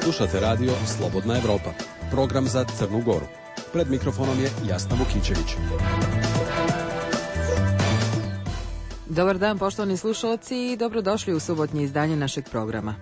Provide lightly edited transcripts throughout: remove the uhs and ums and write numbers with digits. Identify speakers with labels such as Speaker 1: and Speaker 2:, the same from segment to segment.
Speaker 1: Slušate radio Slobodna Evropa, program za Crnu Goru. Pred mikrofonom je Jasna Vukićević.
Speaker 2: Dobar dan, poštovani slušalci, i dobrodošli u subotnje izdanje našeg programa.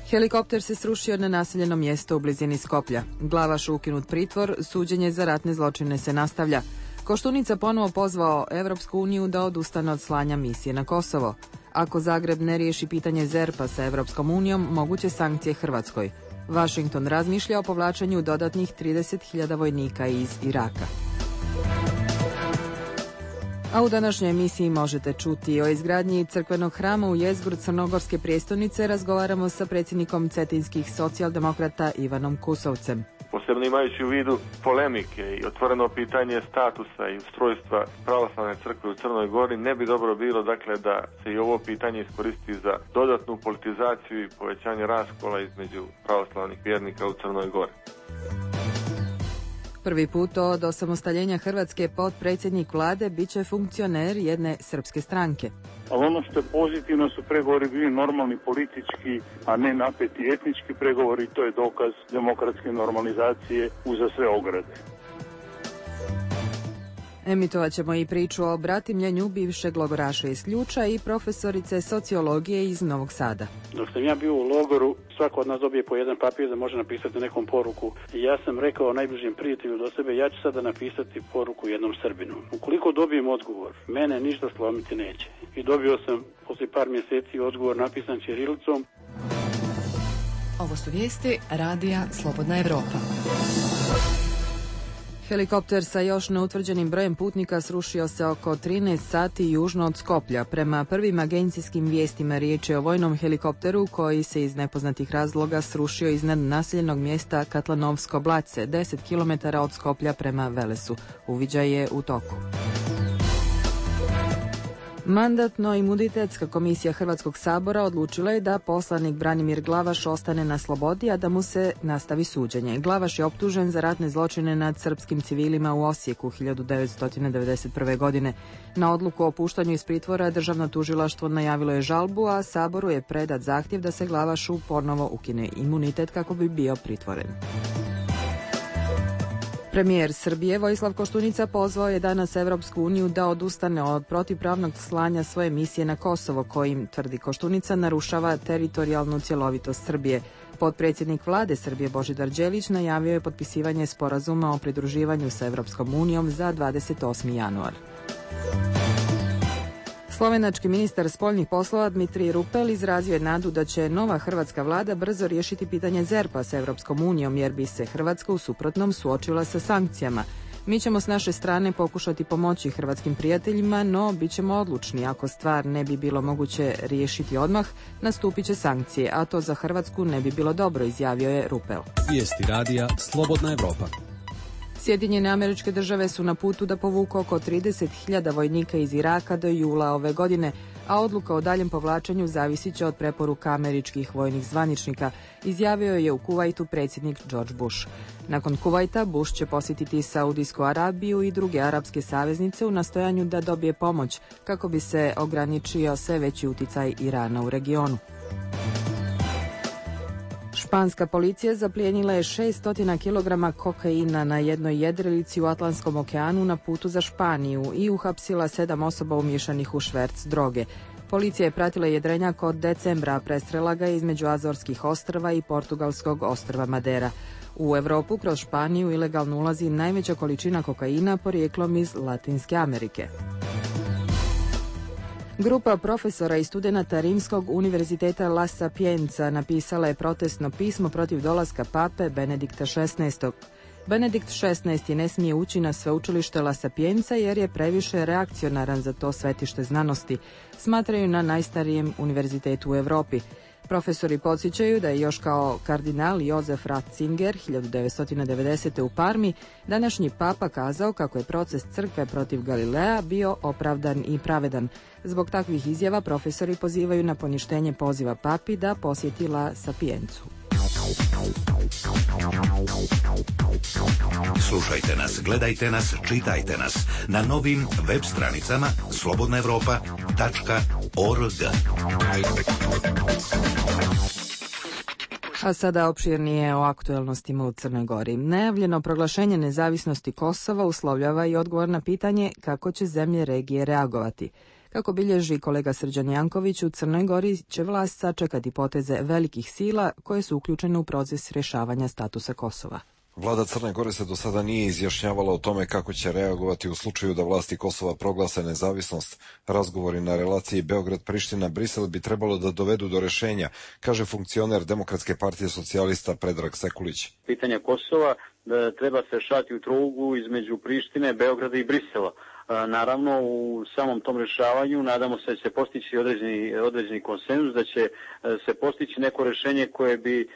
Speaker 2: Helikopter se srušio na naseljeno mjesto u blizini Skoplja. Glavaš ukinut pritvor, suđenje za ratne zločine se nastavlja. Koštunica ponovo pozvao Evropsku uniju da odustane od slanja misije na Kosovo. Ako Zagreb ne riješi pitanje ZERP-a sa Evropskom unijom, moguće sankcije Hrvatskoj. Washington razmišlja o povlačenju dodatnih 30.000 vojnika iz Iraka. A u današnjoj emisiji možete čuti o izgradnji crkvenog hrama u jezgru Crnogorske prijestolnice. Razgovaramo sa predsjednikom cetinskih socijaldemokrata Ivanom Kusovcem.
Speaker 3: Posebno imajući u vidu polemike i otvoreno pitanje statusa i ustrojstva pravoslavne crkve u Crnoj Gori, ne bi dobro bilo dakle da se i ovo pitanje iskoristi za dodatnu politizaciju i povećanje raskola između pravoslavnih vjernika u Crnoj Gori.
Speaker 2: Prvi put od osamostaljenja Hrvatske potpredsjednik vlade bit će funkcioner jedne srpske stranke.
Speaker 4: Ali ono što je pozitivno su pregovori bili normalni politički, a ne napeti etnički pregovori. To je dokaz demokratske normalizacije uza sve ograde.
Speaker 2: Emitovat ćemo i priču o bratimljenju bivšeg logoraša iz Ključa i profesorice sociologije iz Novog Sada.
Speaker 5: Dok sam ja bio u logoru, svako od nas dobije po jedan papir da može napisati nekom poruku. I ja sam rekao najbližem prijatelju do sebe, ja ću sada napisati poruku jednom Srbinu. Ukoliko dobijem odgovor, mene ništa slomiti neće. I dobio sam poslije par mjeseci odgovor napisan ćirilicom.
Speaker 6: Ovo su vijesti radija Slobodna Evropa.
Speaker 2: Helikopter sa još neutvrđenim brojem putnika srušio se oko 13 sati južno od Skoplja. Prema prvim agencijskim vijestima riječ je o vojnom helikopteru koji se iz nepoznatih razloga srušio iznad naseljenog mjesta Katlanovsko Blace, 10 km od Skoplja prema Velesu. Uviđaj je u toku. Mandatno-imunitetska komisija Hrvatskog sabora odlučila je da poslanik Branimir Glavaš ostane na slobodi, a da mu se nastavi suđenje. Glavaš je optužen za ratne zločine nad srpskim civilima u Osijeku 1991. godine. Na odluku o puštanju iz pritvora državno tužilaštvo najavilo je žalbu, a Saboru je predat zahtjev da se Glavašu ponovo ukine imunitet kako bi bio pritvoren. Premijer Srbije Vojislav Koštunica pozvao je danas Evropsku uniju da odustane od protivpravnog slanja svoje misije na Kosovo, kojim, tvrdi Koštunica, narušava teritorijalnu cjelovitost Srbije. Potpredsjednik vlade Srbije Božidar Đelić najavio je potpisivanje sporazuma o pridruživanju sa Evropskom unijom za 28. januar. Slovenački ministar spoljnih poslova Dmitrij Rupel izrazio je nadu da će nova hrvatska vlada brzo riješiti pitanje ZERP-a sa Evropskom unijom, jer bi se Hrvatska u suprotnom suočila sa sankcijama. Mi ćemo s naše strane pokušati pomoći hrvatskim prijateljima, no bit ćemo odlučni. Ako stvar ne bi bilo moguće riješiti odmah, nastupit će sankcije, a to za Hrvatsku ne bi bilo dobro, izjavio je Rupel.
Speaker 1: Vijesti radija Slobodna Evropa.
Speaker 2: Sjedinjene Američke Države su na putu da povuku oko 30.000 vojnika iz Iraka do jula ove godine, a odluka o daljem povlačenju zavisit će od preporuka američkih vojnih zvaničnika, izjavio je u Kuvajtu predsjednik George Bush. Nakon Kuvajta, Bush će posjetiti Saudijsku Arabiju i druge arapske saveznice u nastojanju da dobije pomoć kako bi se ograničio sve veći uticaj Irana u regionu. Španska policija zaplijenila je 600 kg kokaina na jednoj jedrilici u Atlantskom okeanu na putu za Španiju i uhapsila 7 osoba umješanih u šverc droge. Policija je pratila jedrenjak od decembra, a prestrela ga između Azorskih ostrva i portugalskog ostrva Madera. U Europu kroz Španiju ilegalno ulazi najveća količina kokaina porijeklom iz Latinske Amerike. Grupa profesora i studenata Rimskog univerziteta La Sapienza napisala je protestno pismo protiv dolaska pape Benedikta XVI. Benedikt XVI ne smije ući na sveučilište La Sapienza jer je previše reakcionaran za to svetište znanosti, smatraju na najstarijem univerzitetu u Europi. Profesori podsjećaju da je još kao kardinal Josef Ratzinger 1990. u Parmi današnji papa kazao kako je proces crkve protiv Galilea bio opravdan i pravedan. Zbog takvih izjava profesori pozivaju na poništenje poziva papi da posjeti La Sapienzu.
Speaker 7: Slušajte nas, gledajte nas, čitajte nas na novim web stranicama slobodnaevropa.org.
Speaker 2: A sada opširnije o aktuelnostima u Crnoj Gori. Najavljeno proglašenje nezavisnosti Kosova uslovljava i odgovor na pitanje kako će zemlje regije reagovati. Kako bilježi kolega Srđan Janković, u Crnoj Gori će vlast sačekati poteze velikih sila koje su uključene u proces rješavanja statusa Kosova.
Speaker 8: Vlada Crne Gore se do sada nije izjašnjavala o tome kako će reagovati u slučaju da vlasti Kosova proglase nezavisnost. Razgovori na relaciji Beograd-Priština-Brisel bi trebalo da dovedu do rešenja, kaže funkcioner Demokratske partije socijalista Predrag Sekulić.
Speaker 5: Pitanje Kosova treba se rešavati u trouglu između Prištine, Beograda i Brisela. Naravno, u samom tom rešavanju nadamo se da će postići određeni konsenzus, da će se postići neko rešenje koje bi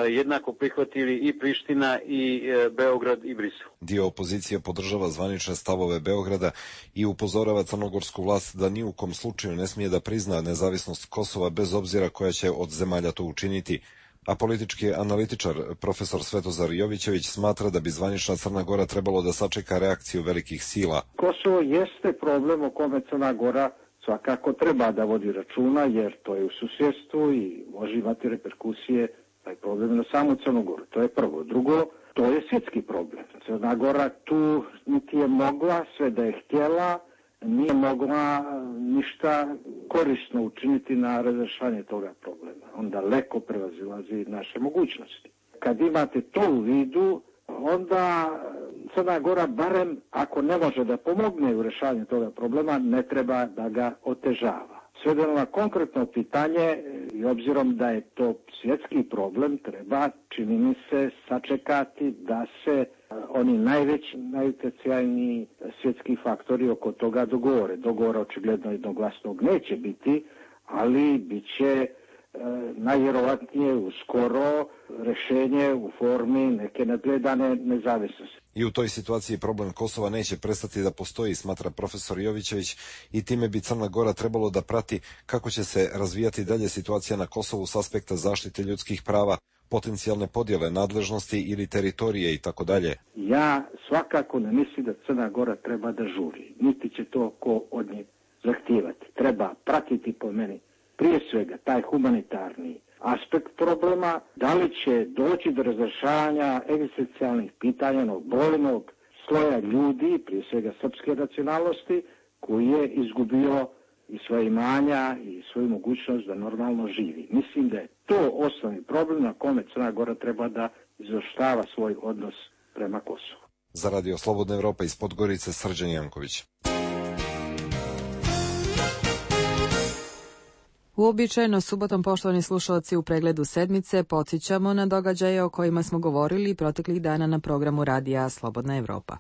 Speaker 5: jednako prihvatili i Priština i Beograd i Brisel.
Speaker 8: Dio opozicije podržava zvanične stavove Beograda i upozorava crnogorsku vlast da ni u kom slučaju ne smije da prizna nezavisnost Kosova bez obzira koja će od zemalja to učiniti. A politički analitičar profesor Svetozar Jovićević smatra da bi zvanična Crna Gora trebalo da sačeka reakciju velikih sila.
Speaker 9: Kosovo jeste problem o kome Crna Gora svakako treba da vodi računa, jer to je u susjedstvu i može imati reperkusije taj problem na samu Crnu Goru. To je prvo. Drugo, to je svjetski problem. Crna Gora tu niti je mogla, sve da je htjela, nije mogla ništa korisno učiniti na razrešavanje toga problema. On daleko prevazilazi naše mogućnosti. Kad imate to u vidu, onda Crna Gora, barem ako ne može da pomogne u rješavanju toga problema, ne treba da ga otežava. Svedeno na konkretno pitanje, i obzirom da je to svjetski problem, treba, čini mi se, sačekati da se oni najveći, najutjecajniji svjetski faktori oko toga dogovore. Dogovora očigledno jednoglasnog neće biti, ali bit će najvjerovatnije uskoro rješenje u formi neke nadgledane nezavisnosti.
Speaker 8: I u toj situaciji problem Kosova neće prestati da postoji, smatra profesor Jovićević, i time bi Crna Gora trebalo da prati kako će se razvijati dalje situacija na Kosovu s aspekta zaštite ljudskih prava, potencijalne podjele nadležnosti ili teritorije i tako dalje.
Speaker 9: Ja svakako ne mislim da Crna Gora treba da žuri, niti će to ko od nje zahtijevati. Treba pratiti, po meni, prije svega taj humanitarni aspekt problema, da li će doći do razrešavanja egzistencijalnih pitanja onog brojnog sloja ljudi, prije svega srpske nacionalnosti, koji je izgubio i svoje imanja i svoju mogućnost da normalno živi. Mislim da je to osnovni problem na kome Crna Gora treba da izvršava svoj odnos prema Kosovu.
Speaker 8: Za Radio Slobodna Evropa iz Podgorice, Srđan Janković.
Speaker 2: Uobičajeno subotom, poštovani slušalci, u pregledu sedmice podsjećamo na događaje o kojima smo govorili proteklih dana na programu Radija Slobodna Evropa.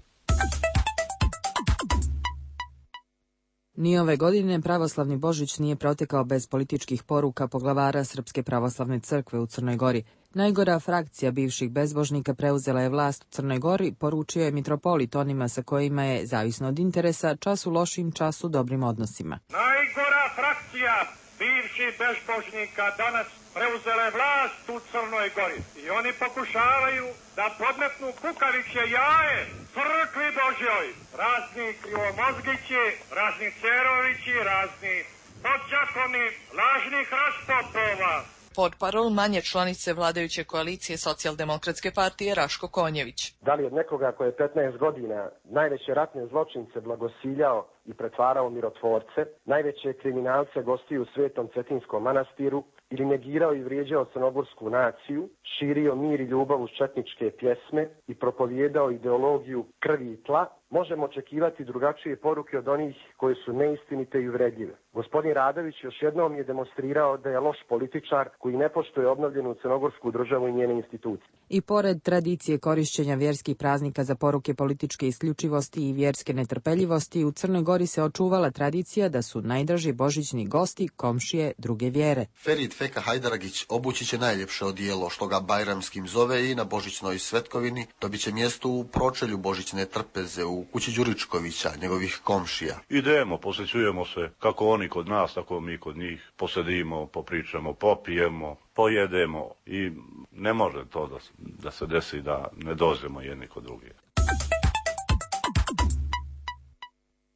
Speaker 2: Ni ove godine pravoslavni Božić nije protekao bez političkih poruka poglavara Srpske pravoslavne crkve u Crnoj Gori. Najgora frakcija bivših bezbožnika preuzela je vlast u Crnoj Gori, poručio je mitropolit onima sa kojima je, zavisno od interesa, čas u lošim, čas u dobrim odnosima.
Speaker 10: Najgora frakcija bivših bezbožnika danas preuzela je vlast u Crnoj Gori i oni pokušavaju da podmetnu kukavičje jaje crkvi Božjoj. Razni krivomozgići, razni cerovići, razni podđakoni, lažnih raspopova.
Speaker 11: Portparol manje članice vladajuće koalicije Socijaldemokratske partije Raško Konjević.
Speaker 12: Da li od nekoga koji je 15 godina najveće ratne zločince blagosiljao i pretvarao mirotvorce, najveće kriminalce gostio u Svetom Cetinskom manastiru ili negirao i vrijeđao crnogorsku naciju, širio mir i ljubav uz četničke pjesme i propovijedao ideologiju krvi i tla, možemo očekivati drugačije poruke od onih koje su neistinite i uvredljive. Gospodin Radović još jednom je demonstrirao da je loš političar koji ne poštuje obnovljenu crnogorsku državu i njene institucije.
Speaker 2: I pored tradicije korišćenja vjerskih praznika za poruke političke isključivosti i vjerske netrpeljivosti, u Crnoj Gori se očuvala tradicija da su najdraži božićni gosti komšije druge vjere.
Speaker 13: Ferit Feka Hajdaragić obući će najljepše odijelo što ga bajramskim zove i na božićnoj svetkovini dobit će mjesto u pročelju božićne trpeze u kući Đuričkovića, njegovih komšija.
Speaker 14: Idemo, posjećujemo se kako oni kod nas, tako mi kod njih, posedimo, popričamo, popijemo, pojedemo i ne može to da se desi da ne dođemo jedni kod drugih.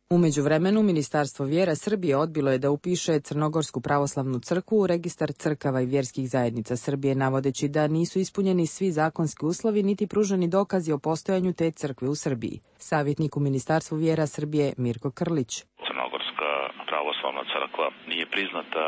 Speaker 2: U međuvremenu, Ministarstvo vjera Srbije odbilo je da upiše Crnogorsku pravoslavnu crkvu u registar crkava i vjerskih zajednica Srbije, navodeći da nisu ispunjeni svi zakonski uslovi niti pruženi dokazi o postojanju te crkve u Srbiji. Savjetnik u Ministarstvu vjera Srbije Mirko Krlić.
Speaker 15: Crnogorska pravoslavna crkva nije priznata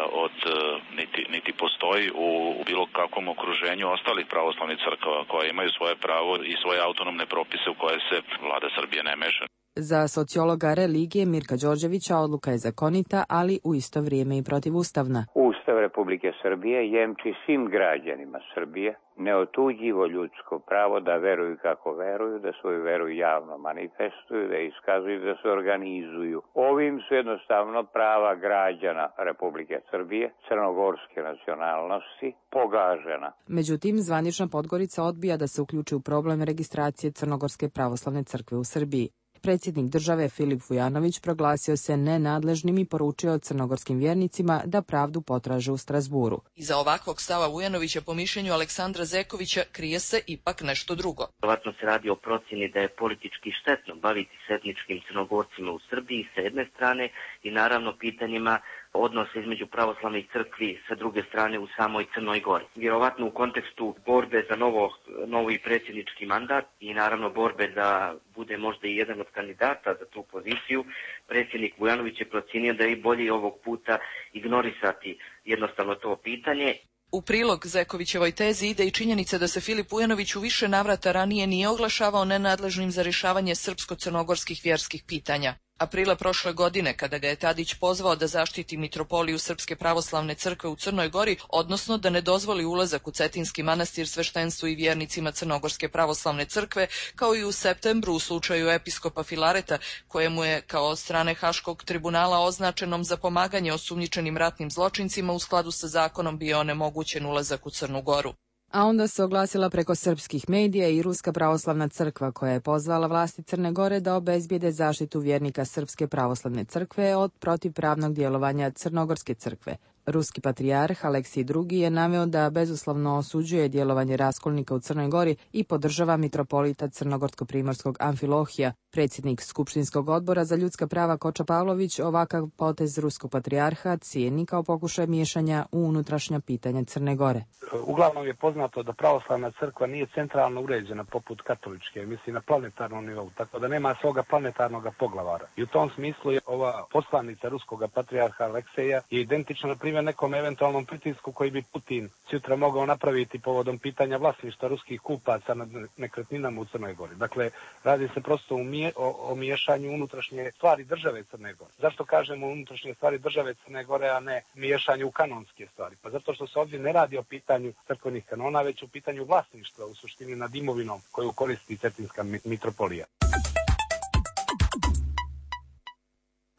Speaker 15: niti postoji u bilo kakvom okruženju ostalih pravoslavnih crkava koje imaju svoje pravo i svoje autonomne propise u koje se vlada Srbije ne meša.
Speaker 2: Za sociologa religije Mirka Đorđevića odluka je zakonita, ali u isto vrijeme i protivustavna.
Speaker 16: Ustav Republike Srbije jemči svim građanima Srbije neotuđivo ljudsko pravo da veruju kako veruju, da svoju veru javno manifestuju, da iskazuju, da se organizuju. Ovim su jednostavno prava građana Republike Srbije, crnogorske nacionalnosti, pogažena.
Speaker 2: Međutim, zvanična Podgorica odbija da se uključi u problem registracije Crnogorske pravoslavne crkve u Srbiji. Predsjednik države Filip Vujanović proglasio se nenadležnim i poručio crnogorskim vjernicima da pravdu potraže u Strasburu.
Speaker 11: Iza ovakvog stava Vujanovića po mišljenju Aleksandra Zekovića krije se ipak nešto drugo.
Speaker 17: Vjerovatno se radi o procjeni da je politički štetno baviti se etničkim Crnogorcima u Srbiji s jedne strane i naravno pitanjima odnose između pravoslavnih crkvi sa druge strane u samoj Crnoj Gori. Vjerovatno u kontekstu borbe za novi predsjednički mandat i naravno borbe da bude možda i jedan od kandidata za tu poziciju, predsjednik Vujanović je procijenio da je bolje ovog puta ignorisati jednostavno to pitanje.
Speaker 11: U prilog Zekovićevoj tezi ide i činjenica da se Filip Vujanović u više navrata ranije nije oglašavao nenadležnim za rješavanje srpsko-crnogorskih vjerskih pitanja. Aprila prošle godine, kada ga je Tadić pozvao da zaštiti mitropoliju Srpske pravoslavne crkve u Crnoj Gori, odnosno da ne dozvoli ulazak u Cetinski manastir sveštenstvu i vjernicima Crnogorske pravoslavne crkve, kao i u septembru u slučaju episkopa Filareta, kojemu je kao od strane Haškog tribunala označenom za pomaganje osumnjičenim ratnim zločincima u skladu sa zakonom bio onemogućen ulazak u Crnu Goru.
Speaker 2: A onda se oglasila preko srpskih medija i Ruska pravoslavna crkva koja je pozvala vlasti Crne Gore da obezbijede zaštitu vjernika Srpske pravoslavne crkve od protivpravnog djelovanja Crnogorske crkve. Ruski patrijarh Aleksij II je naveo da bezuslovno osuđuje djelovanje raskolnika u Crnoj Gori i podržava mitropolita Crnogorsko-primorskog Amfilohija. Predsjednik Skupštinskog odbora za ljudska prava Koča Pavlović ovakav potez ruskog patrijarha cijeni kao pokušaj miješanja u unutrašnja pitanja Crne Gore.
Speaker 5: Uglavnom je poznato da pravoslavna crkva nije centralno uređena poput katoličke, mislim na planetarnom nivou, tako da nema svoga planetarnog poglavara. I u tom smislu je ova poslanica ruskog patrijarha Alekseja je identična na primjer nekom eventualnom pritisku koji bi Putin sutra mogao napraviti povodom pitanja vlasništva ruskih kupaca nad nekretninama u Crnoj Gori. Dakle, radi se prosto o miješanju unutrašnje stvari države Crne Gore. Zašto kažemo unutrašnje stvari države Crne Gore, a ne miješanju u kanonske stvari? Pa zato što se ovdje ne radi o pitanju crkvenih kanona, već o pitanju vlasništva u suštini nad imovinom koju koristi Cetinska mitropolija.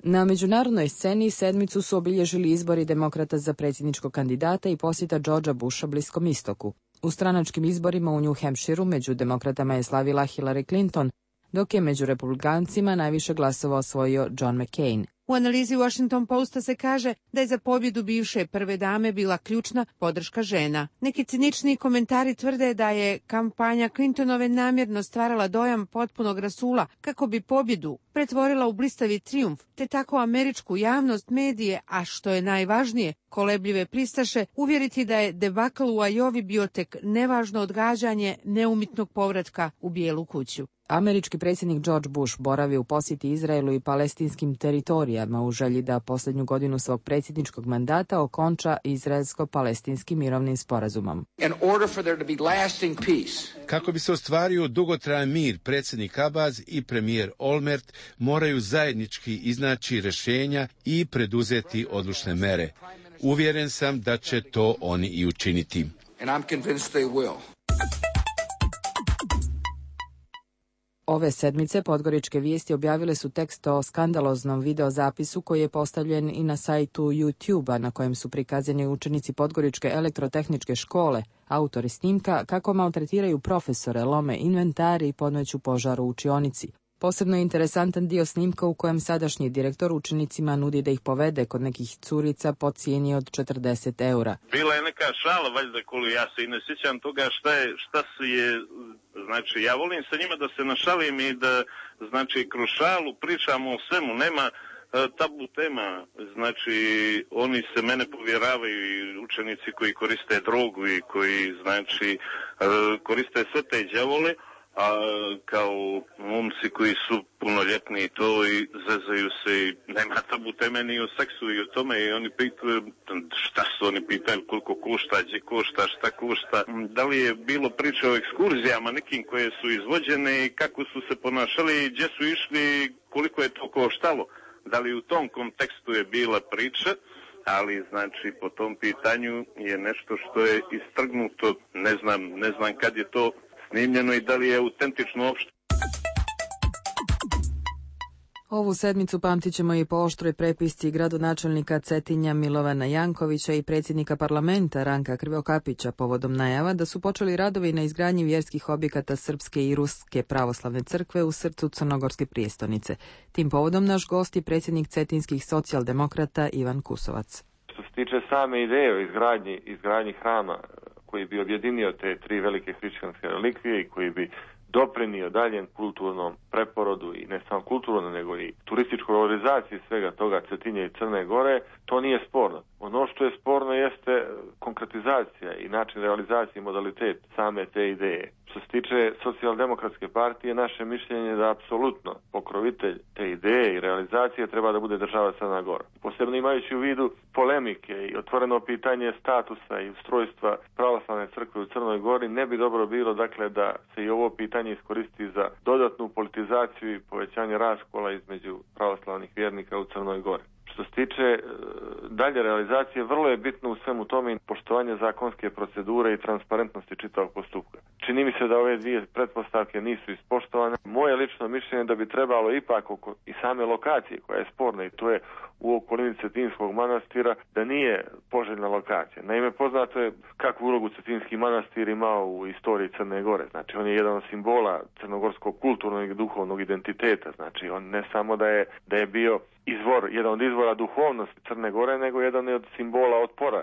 Speaker 2: Na međunarodnoj sceni sedmicu su obilježili izbori demokrata za predsjedničkog kandidata i posjeta Georgea Busha Bliskom istoku. U stranačkim izborima u New Hampshireu među demokratama je slavila Hillary Clinton, dok je među republikancima najviše glasova osvojio John McCain.
Speaker 18: U analizi Washington Posta se kaže da je za pobjedu bivše prve dame bila ključna podrška žena. Neki cinični komentari tvrde da je kampanja Clintonove namjerno stvarala dojam potpunog rasula kako bi pobjedu pretvorila u blistavi trijumf, te tako američku javnost, medije, a što je najvažnije, kolebljive pristaše, uvjeriti da je debakl u Ajovi bio tek nevažno odgađanje neumitnog povratka u Bijelu kuću.
Speaker 2: Američki predsjednik George Bush boravi u posjeti Izraelu i palestinskim teritorijama u želji da posljednju godinu svog predsjedničkog mandata okonča izraelsko-palestinskim mirovnim sporazumom.
Speaker 19: Kako bi se ostvario dugotrajan mir, predsjednik Abbas i premijer Olmert moraju zajednički iznaći rješenja i preduzeti odlučne mere. Uvjeren sam da će to oni i učiniti.
Speaker 2: Ove sedmice Podgoričke vijesti objavile su tekst o skandaloznom videozapisu koji je postavljen i na sajtu YouTube-a na kojem su prikazani učenici Podgoričke elektrotehničke škole, autori snimka kako maltretiraju profesore, lome inventari i podmeću požar u učionici. Posebno je interesantan dio snimka u kojem sadašnji direktor učenicima nudi da ih povede kod nekih curica po cijeni od 40 eura.
Speaker 20: Bila je neka šala, valjda, koju ja se i ne sjećam toga šta se je, znači ja volim sa njima da se našalim i da, znači, kroz šalu pričamo o svemu, nema tabu tema, znači oni se mene povjeravaju i učenici koji koriste drogu i koji, znači, koriste sve te đavole, a kao momci koji su punoljetni i to i zezaju se i nema tabu teme ni o seksu i o tome i oni pitaju šta su oni pitaju, koliko košta, gdje košta, šta košta, da li je bilo priče o ekskurzijama nekim koje su izvođene i kako su se ponašali i gdje su išli, koliko je to koštalo. Da li u tom kontekstu je bila priča, ali znači po tom pitanju je nešto što je istrgnuto, ne znam kad je to snimljeno i da li je autentično uopšte.
Speaker 2: Ovu sedmicu pamtit ćemo i po oštroj prepisci gradonačelnika Cetinja Milovana Jankovića i predsjednika parlamenta Ranka Krivokapića povodom najava da su počeli radovi na izgradnji vjerskih objekata Srpske i Ruske pravoslavne crkve u srcu crnogorske prijestolnice. Tim povodom naš gost je predsjednik cetinskih socijaldemokrata Ivan Kusovac.
Speaker 3: Što se tiče same ideje o izgradnji hrama koji bi objedinio te tri velike hrišćanske relikvije i koji bi doprinio daljem kulturnom preporodu i ne samo kulturno nego i turističkoj valorizaciji svega toga Cetinja i Crne Gore, to nije sporno. Ono što je sporno jeste konkretizacija i način realizacije i modalitet same te ideje. Što se tiče socijaldemokratske partije, naše mišljenje je da apsolutno pokrovitelj te ideje i realizacije treba da bude država Crna Gora. Posebno imajući u vidu polemike i otvoreno pitanje statusa i ustrojstva pravoslavne crkve u Crnoj Gori, ne bi dobro bilo dakle da se i ovo pitanje iskoristi za dodatnu politizaciju i povećanje raskola između pravoslavnih vjernika u Crnoj Gori. Što se tiče dalje realizacije, vrlo je bitno u svemu tome poštovanje zakonske procedure i transparentnosti čitavog postupka. Čini mi se da ove dvije pretpostavke nisu ispoštovane. Moje lično mišljenje da bi trebalo ipak oko i same lokacije koja je sporna i to je u okolini Cetinskog manastira da nije poželjna lokacija. Naime, poznato je kakvu ulogu Cetinski manastir imao u istoriji Crne Gore. Znači, on je jedan od simbola crnogorskog kulturnog i duhovnog identiteta. Znači, on ne samo da je bio jedan od izvora duhovnosti Crne Gore, nego jedan od simbola otpora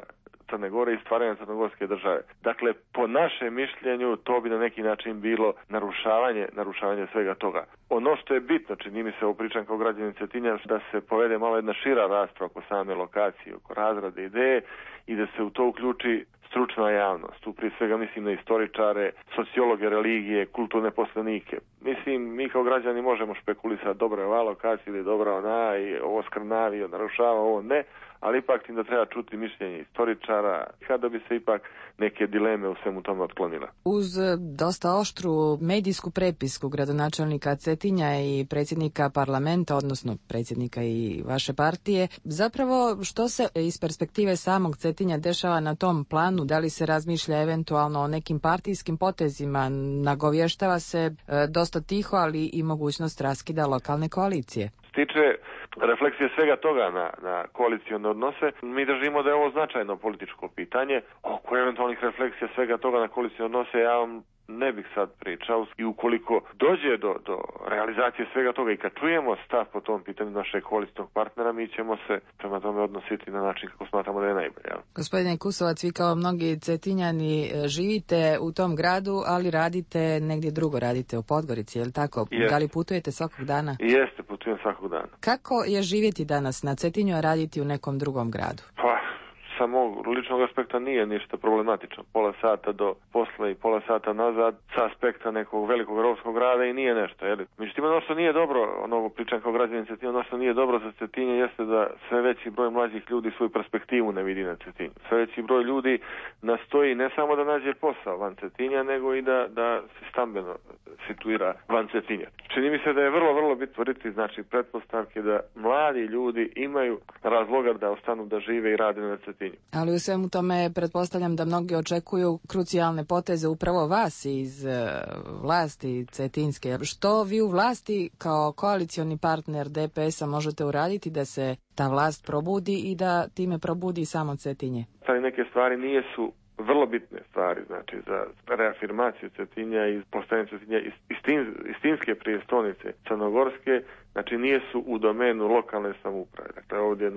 Speaker 3: Crne Gore i stvaranja crnogorske države. Dakle, po našem mišljenju to bi na neki način bilo narušavanje svega toga. Ono što je bitno, čini mi se, ovo pričam kao građanin Cetinja, da se povede malo jedna šira rasprava oko same lokacije, oko razrade ideje i da se u to uključi stručna javnost. Tu prije svega mislim na istoričare, sociologe religije, kulturne poslanike. Mislim, mi kao građani možemo špekulisati dobra je ova lokacija ili dobra ona i ovo skrnavi, narušava, ovo ne, ali ipak tim da treba čuti mišljenje istoričara kada bi se ipak neke dileme u svemu tome otklonila.
Speaker 2: Uz dosta oštru medijsku prepisku gradonačelnika Cetinja i predsjednika parlamenta, odnosno predsjednika i vaše partije, zapravo što se iz perspektive samog Cetinja dešava na tom planu? Da li se razmišlja eventualno o nekim partijskim potezima? Nagovještava se dosta tiho, ali i mogućnost raskida lokalne koalicije.
Speaker 3: Tiče refleksije svega toga na koalicione odnose, mi držimo da je ovo značajno političko pitanje. Oko eventualnih refleksija svega toga na koalicione odnose ja vam ne bih sad pričao i ukoliko dođe do realizacije svega toga i kad čujemo stav po tom pitanju našeg koalicijnog partnera, mi ćemo se prema tome odnositi na način kako smatramo da je najbolje.
Speaker 2: Gospodine Kusovac, vi kao mnogi Cetinjani živite u tom gradu, ali radite negdje drugo, radite u Podgorici, je li tako?
Speaker 3: Jest.
Speaker 2: Da li putujete svakog dana?
Speaker 3: Jeste, putujem svakog dana.
Speaker 2: Kako je živjeti danas na Cetinju, a raditi u nekom drugom gradu?
Speaker 3: Sa mog ličnog aspekta nije ništa problematično. Pola sata do posla i pola sata nazad sa aspekta nekog velikog rovskog grada i nije nešto. Međutim, ono što nije dobro, ono pričam kao građanin Cetinja, ono što nije dobro za Cetinje jeste da sve veći broj mlađih ljudi svoju perspektivu ne vidi na Cetinju. Sve veći broj ljudi nastoji ne samo da nađe posao van Cetinja, nego i da se stambeno situira van Cetinja. Čini mi se da je vrlo bitno stvoriti, znači, pretpostavke da mladi ljudi imaju razloga da ostanu da žive i rade na Cetinju.
Speaker 2: Ali u svemu tome pretpostavljam da mnogi očekuju krucijalne poteze upravo vas iz vlasti cetinske. Što vi u vlasti kao koalicioni partner DPS-a možete uraditi da se ta vlast probudi i da time probudi samo Cetinje?
Speaker 3: Neke stvari nisu vrlo bitne stvari, znači za reafirmaciju Cetinja i postavljanje Cetinja istinske prijestolnice crnogorske, znači nije su u domenu lokalne samouprave. Dakle, ovdje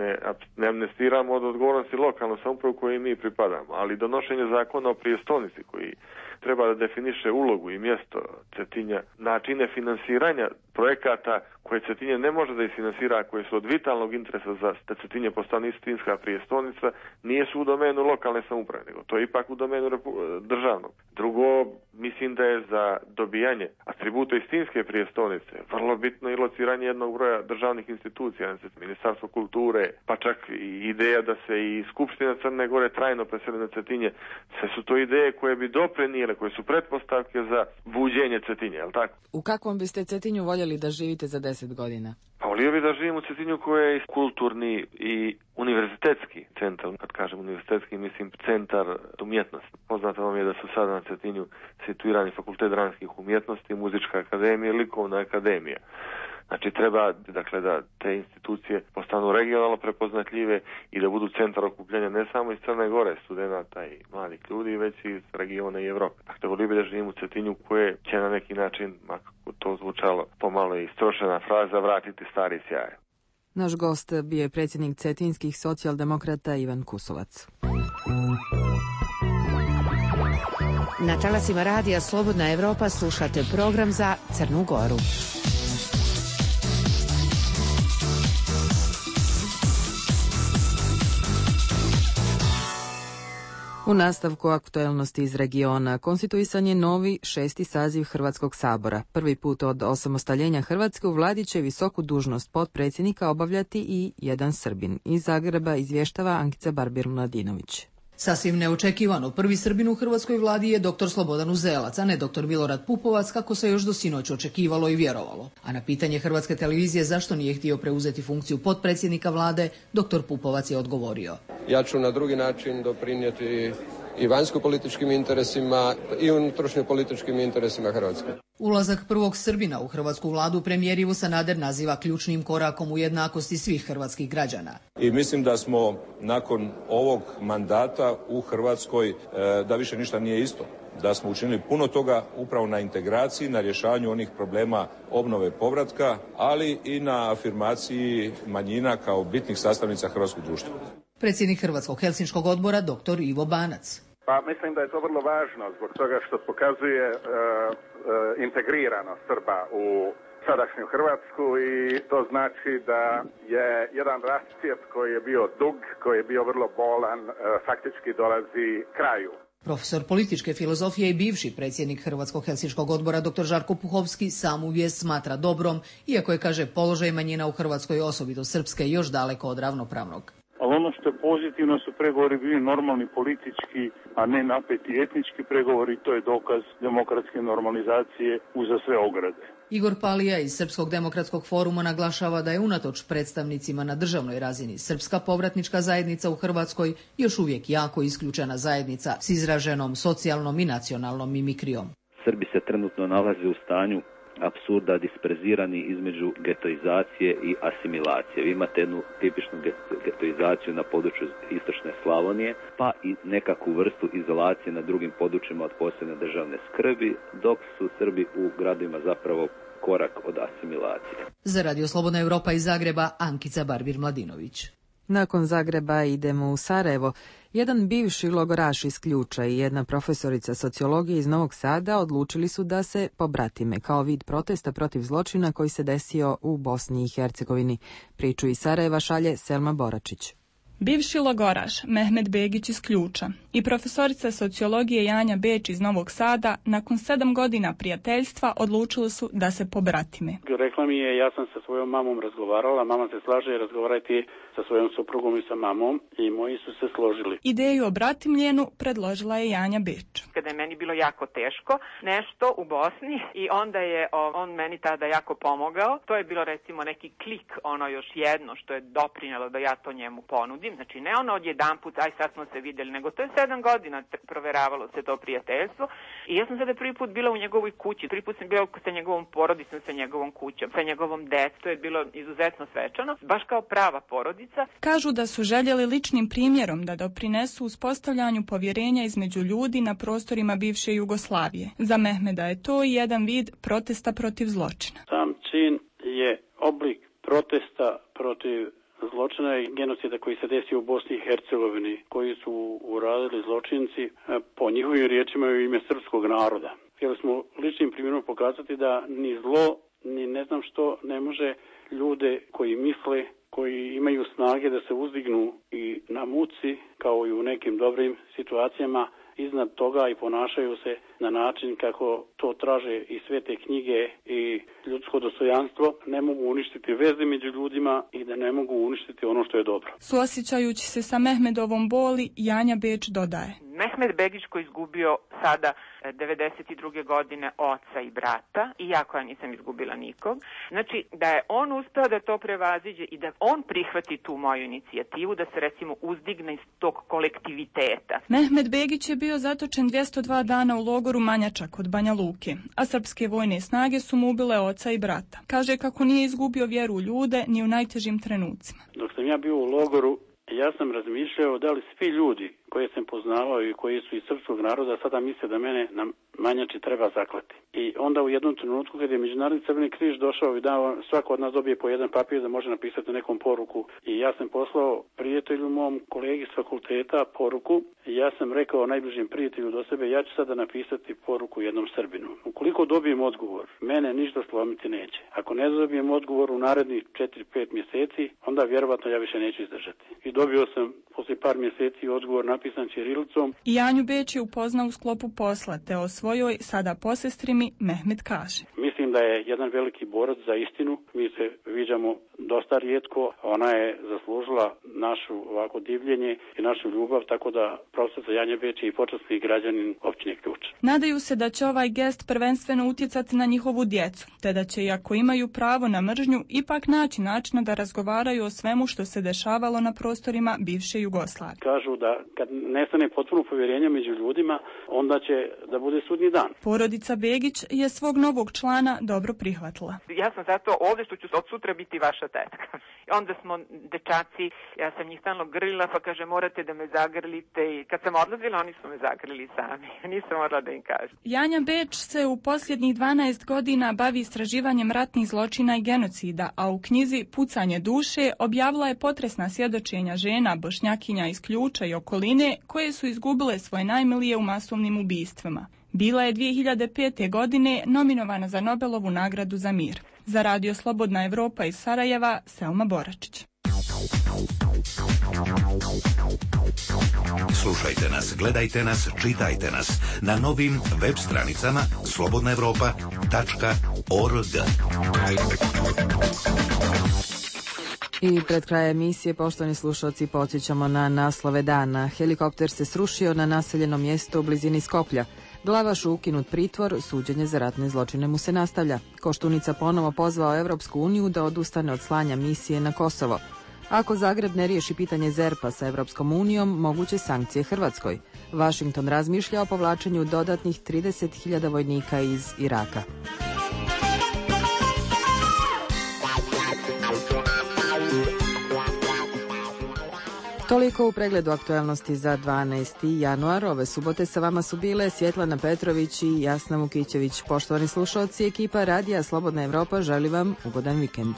Speaker 3: ne amnestiramo od odgovornosti lokalnu samoupravu kojoj mi pripadamo, ali donošenje zakona o prijestolnici koji treba da definiše ulogu i mjesto Cetinja, načine finansiranja projekata koje Cetinje ne može da isfinansira, koje su od vitalnog interesa za da Cetinje postane istinska prijestolnica, nije su u domenu lokalne samouprave, nego to je ipak u domenu državnog. Drugo, mislim da je za dobijanje atributa istinske prijestolnice vrlo bitno i lociranje jednog broja državnih institucija, Ministarstvo kulture, pa čak i ideja da se i Skupština Crne Gore trajno preseli na Cetinje. Sve su to ideje koje bi doprinijele, koje su pretpostavke za buđenje Cetinje, je li tako?
Speaker 2: U kakvom biste Cetinju voljeli da živite za 10 godina?
Speaker 3: Pa volio bi da živim u Cetinju koji je kulturni i univerzitetski centar. Kad kažem univerzitetski, mislim centar umjetnosti. Poznato vam je da su sada na Cetinju situirani Fakultet dramskih umjetnosti, Muzička akademija i Likovna akademija. Znači treba, dakle, da te institucije postanu regionalno prepoznatljive i da budu centar okupljanja ne samo iz Crne Gore, studenata i mladih ljudi, već i iz regiona i Evrope. Dakle, volio bi da živim u Cetinju koje će na neki način, makako to zvučalo pomalo i istrošena fraza, vratiti stari sjaj.
Speaker 2: Naš gost bio je predsjednik cetinskih socijaldemokrata Ivan Kusovac.
Speaker 18: Na talasima radija Slobodna Evropa slušate program za Crnu Goru.
Speaker 2: U nastavku aktuelnosti iz regiona konstituisan je novi 6. saziv Hrvatskog sabora. Prvi put od osamostaljenja Hrvatske u vladi će visoku dužnost potpredsjednika obavljati i jedan Srbin. Iz Zagreba izvještava Ankica Barbir-Mladinović.
Speaker 21: Sasvim neočekivano, prvi Srbin u hrvatskoj vladi je dr. Slobodan Uzelac, a ne dr. Milorad Pupovac, kako se još do sinoć očekivalo i vjerovalo. A na pitanje Hrvatske televizije zašto nije htio preuzeti funkciju potpredsjednika vlade, dr. Pupovac je odgovorio.
Speaker 22: Ja ću na drugi način doprinijeti i vanjsko-političkim interesima i unutrašnjo-političkim interesima Hrvatske.
Speaker 21: Ulazak prvog Srbina u hrvatsku vladu premijer Ivo Sanader naziva ključnim korakom u jednakosti svih hrvatskih građana.
Speaker 23: I mislim da smo nakon ovog mandata u Hrvatskoj, da više ništa nije isto. Da smo učinili puno toga upravo na integraciji, na rješavanju onih problema obnove povratka, ali i na afirmaciji manjina kao bitnih sastavnica hrvatskog društva.
Speaker 21: Predsjednik Hrvatskog helsinškog odbora dr. Ivo Banac.
Speaker 24: Pa mislim da je to vrlo važno zbog toga što pokazuje integriranost Srba u sadašnju Hrvatsku i to znači da je jedan rascjep koji je bio dug, koji je bio vrlo bolan, faktički dolazi kraju.
Speaker 21: Profesor političke filozofije i bivši predsjednik Hrvatskog helsinškog odbora dr. Žarko Puhovski samu vijest smatra dobrom, iako je, kaže, položaj manjina u Hrvatskoj, osobito srpske, još daleko od ravnopravnog.
Speaker 4: Ali ono što je pozitivno su pregovori bili normalni politički, a ne napeti etnički pregovori, to je dokaz demokratske normalizacije uza sve ograde.
Speaker 21: Igor Palija iz Srpskog demokratskog foruma naglašava da je unatoč predstavnicima na državnoj razini srpska povratnička zajednica u Hrvatskoj još uvijek jako isključena zajednica s izraženom socijalnom i nacionalnom mimikrijom.
Speaker 25: Srbi se trenutno nalaze u stanju apsurda, disperzirani između getoizacije i asimilacije. Vi imate jednu tipičnu getoizaciju na području istočne Slavonije, pa i nekakvu vrstu izolacije na drugim područjima od posebne državne skrbi, dok su Srbi u gradovima zapravo korak od asimilacije.
Speaker 21: Za Radio Slobodna Evropa iz Zagreba, Ankica Barbir-Mladinović.
Speaker 2: Nakon Zagreba idemo u Sarajevo. Jedan bivši logoraš iz Ključa i jedna profesorica sociologije iz Novog Sada odlučili su da se pobratime kao vid protesta protiv zločina koji se desio u Bosni i Hercegovini. Priču iz Sarajeva šalje Selma Boračić.
Speaker 26: Bivši logoraš Mehmet Begić iz Ključa i profesorica sociologije Janja Beč iz Novog Sada nakon 7 godina prijateljstva odlučili su da se pobratime.
Speaker 5: Rekla mi je, ja sam sa svojom mamom razgovarala, mama se slaže razgovarati sa svojom suprugom i sa mamom i moji su se složili.
Speaker 26: Ideju o bratimljenu predložila je Janja Beč.
Speaker 27: Kada je meni bilo jako teško nešto u Bosni i onda je on meni tada jako pomogao. To je bilo recimo neki klik, ono još jedno što je doprinjelo da ja to njemu ponudim. Znači ne ono odjedanput, aj sad smo se vidjeli, nego to je 7 godina proveravalo se to prijateljstvo i ja sam sada prvi put bila u njegovoj kući, prvi put sam bila sa njegovom porodicom, sa njegovom kućom, sa njegovom decom, to je bilo izuzetno svečano, baš kao prava porodica.
Speaker 26: Kažu da su željeli ličnim primjerom da doprinesu uspostavljanju povjerenja između ljudi na prostorima bivše Jugoslavije. Za Mehmeda je to i jedan vid protesta protiv zločina.
Speaker 5: Sam čin je oblik protesta protiv zločina i genocida koji se desio u Bosni i Hercegovini, koji su uradili zločinci po njihovim riječima u ime srpskog naroda. Htjeli smo ličnim primjerom pokazati da ni zlo, ni ne znam što ne može ljude koji misle, koji imaju snage da se uzdignu i na muci, kao i u nekim dobrim situacijama, iznad toga i ponašaju se na način kako to traže i svete knjige i ljudsko dostojanstvo, ne mogu uništiti veze među ljudima i da ne mogu uništiti ono što je dobro.
Speaker 26: Suosjećajući se sa Mehmedovom boli, Janja Beč dodaje.
Speaker 27: Mehmed Begić koji je izgubio sada 92. godine oca i brata i ja koja nisam izgubila nikog. Znači da je on uspeo da to prevaziđe i da on prihvati tu moju inicijativu da se recimo uzdigne iz tog kolektiviteta.
Speaker 26: Mehmed Begić je bio zatočen 202 dana u logoru Manjača kod Banja Luke, a srpske vojne snage su mu ubile oca i brata. Kaže kako nije izgubio vjeru u ljude ni u najtežim trenucima.
Speaker 5: Dok sam ja bio u logoru, ja sam razmišljao da li svi ljudi koje sam poznavao i koji su iz srpskog naroda sada misle da mene na Manjači treba zaklati. I onda u jednom trenutku kad je Međunarodni Crveni križ došao i dao, svako od nas dobije po jedan papir da može napisati nekom poruku. I ja sam poslao prijatelju mom kolegi s fakulteta poruku i ja sam rekao najbližem prijatelju do sebe, ja ću sada napisati poruku jednom Srbinu. Ukoliko dobijem odgovor, mene ništa slomiti neće. Ako ne dobijem odgovor u narednih 4-5 mjeseci, onda vjerovatno ja više neću izdržati. I dobio sam poslije par mjeseci odgovor napisan ćirilicom.
Speaker 26: I Janju Beč je upoznao u sklopu posla, te o svojoj sada posestrimi Mehmed kaže.
Speaker 5: Mislim da je jedan veliki borac za istinu. Mi se viđamo dosta rijetko. Ona je zaslužila našu ovako divljenje i našu ljubav, tako da profesor Janja Beč je i počasni građanin općine Ključ.
Speaker 26: Nadaju se da će ovaj gest prvenstveno utjecati na njihovu djecu, te da će, iako imaju pravo na mržnju, ipak naći načina da razgovaraju o svemu što se dešavalo na prostorima bivše Jugoslavije.
Speaker 5: Kažu da kad nestane potpuno povjerenje među ljudima, onda će da bude sudnji dan.
Speaker 26: Porodica Begić je svog novog člana dobro prihvatila.
Speaker 27: Ja sam zato ovdje što ću od sutra biti vaša tetka. Onda smo dečaci, ja sam njih stalno grlila, pa kaže morate da me zagrlite i kad sam odlazila oni su me zagrlili sami. Nisam morala da im kažem.
Speaker 26: Janja Beč se u posljednjih 12 godina bavi istraživanjem ratnih zločina i genocida, a u knjizi Pucanje duše objavila je potresna svjedočenja žena, Bošnjakinja iz Ključa i okoline koje su izgubile svoje najmilije u masovnim ubistvima. Bila je 2005. godine nominovana za Nobelovu nagradu za mir. Za Radio Slobodna Evropa iz Sarajeva, Selma Boračić.
Speaker 1: Slušajte nas, gledajte nas, čitajte nas na novim web stranicama slobodnaevropa.org.
Speaker 2: I pred krajem emisije, poštovani slušalci, podsjećamo na naslove dana. Helikopter se srušio na naseljenom mjestu u blizini Skoplja. Glavaš ukinut pritvor, suđenje za ratne zločine mu se nastavlja. Koštunica ponovo pozvao Evropsku uniju da odustane od slanja misije na Kosovo. Ako Zagreb ne riješi pitanje ZERP-a sa Evropskom unijom, moguće sankcije Hrvatskoj. Washington razmišlja o povlačenju dodatnih 30.000 vojnika iz Iraka. Toliko u pregledu aktualnosti za 12. januar. Ove subote sa vama su bile Svjetlana Petrović i Jasna Vukićević. Poštovani slušalci, ekipa Radija Slobodna Evropa želi vam ugodan vikend.